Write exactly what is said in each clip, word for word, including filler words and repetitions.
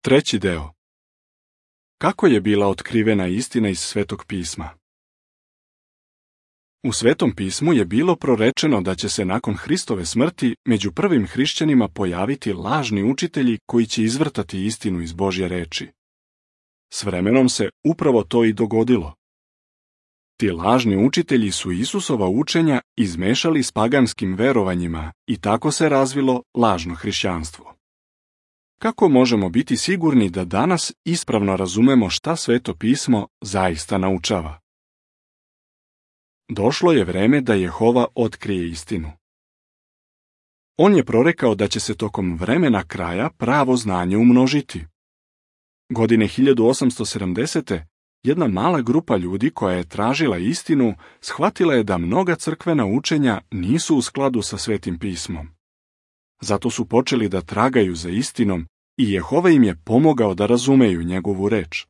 Treći deo. Kako je bila otkrivena istina iz Svetog pisma? U Svetom pismu je bilo prorečeno da će se nakon Hristove smrti među prvim hrišćanima pojaviti lažni učitelji koji će izvrtati istinu iz Božje reči. S vremenom se upravo to i dogodilo. Ti lažni učitelji su Isusova učenja izmešali s paganskim verovanjima i tako se razvilo lažno hrišćanstvo. Kako možemo biti sigurni da danas ispravno razumemo šta Sveto pismo zaista naučava? Došlo je vreme da Jehova otkrije istinu. On je prorekao da će se tokom vremena kraja pravo znanje umnožiti. Godine hiljadu osamsto sedamdesete. jedna mala grupa ljudi koja je tražila istinu shvatila je da mnoga crkvena učenja nisu u skladu sa Svetim pismom. Zato su počeli da tragaju za istinom i Jehova im je pomogao da razumeju njegovu reč.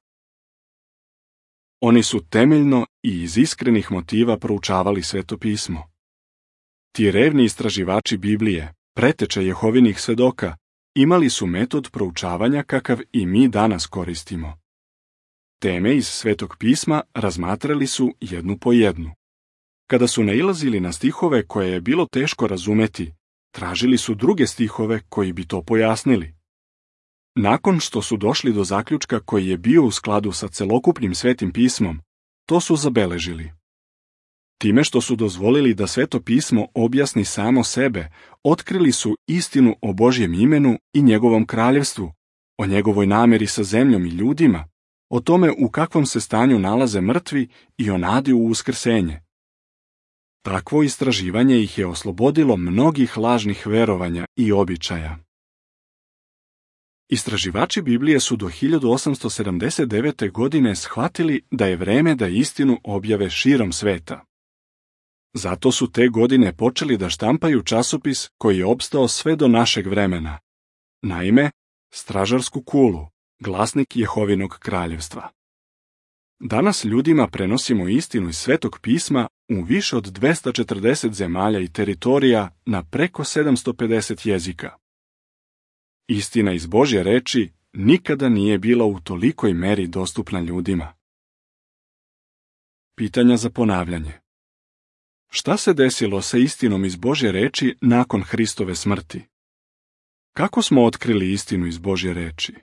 Oni su temeljno i iz iskrenih motiva proučavali Sveto pismo. Ti revni istraživači Biblije, preteče Jehovinih svedoka, imali su metod proučavanja kakav i mi danas koristimo. Teme iz Svetog pisma razmatrali su jednu po jednu. Kada su nailazili na stihove koje je bilo teško razumeti, tražili su druge stihove koji bi to pojasnili. Nakon što su došli do zaključka koji je bio u skladu sa celokupnim Svetim pismom, to su zabeležili. Time što su dozvolili da Sveto pismo objasni samo sebe, otkrili su istinu o Božjem imenu i njegovom kraljevstvu, o njegovoj nameri sa zemljom i ljudima, o tome u kakvom se stanju nalaze mrtvi i o nadi u uskrsenje. Takvo istraživanje ih je oslobodilo mnogih lažnih verovanja i običaja. Istraživači Biblije su do hiljadu osamsto sedamdeset devete. godine shvatili da je vreme da istinu objave širom sveta. Zato su te godine počeli da štampaju časopis koji je opstao sve do našeg vremena. Naime, Stražarsku kulu, glasnik Jehovinog kraljevstva. Danas ljudima prenosimo istinu iz Svetog pisma u više od dvesta četrdeset zemalja i teritorija na preko sedamsto pedeset jezika. Istina iz Božje reči nikada nije bila u tolikoj meri dostupna ljudima. Pitanja za ponavljanje. Šta se desilo sa istinom iz Božje reči nakon Hristove smrti? Kako smo otkrili istinu iz Božje reči?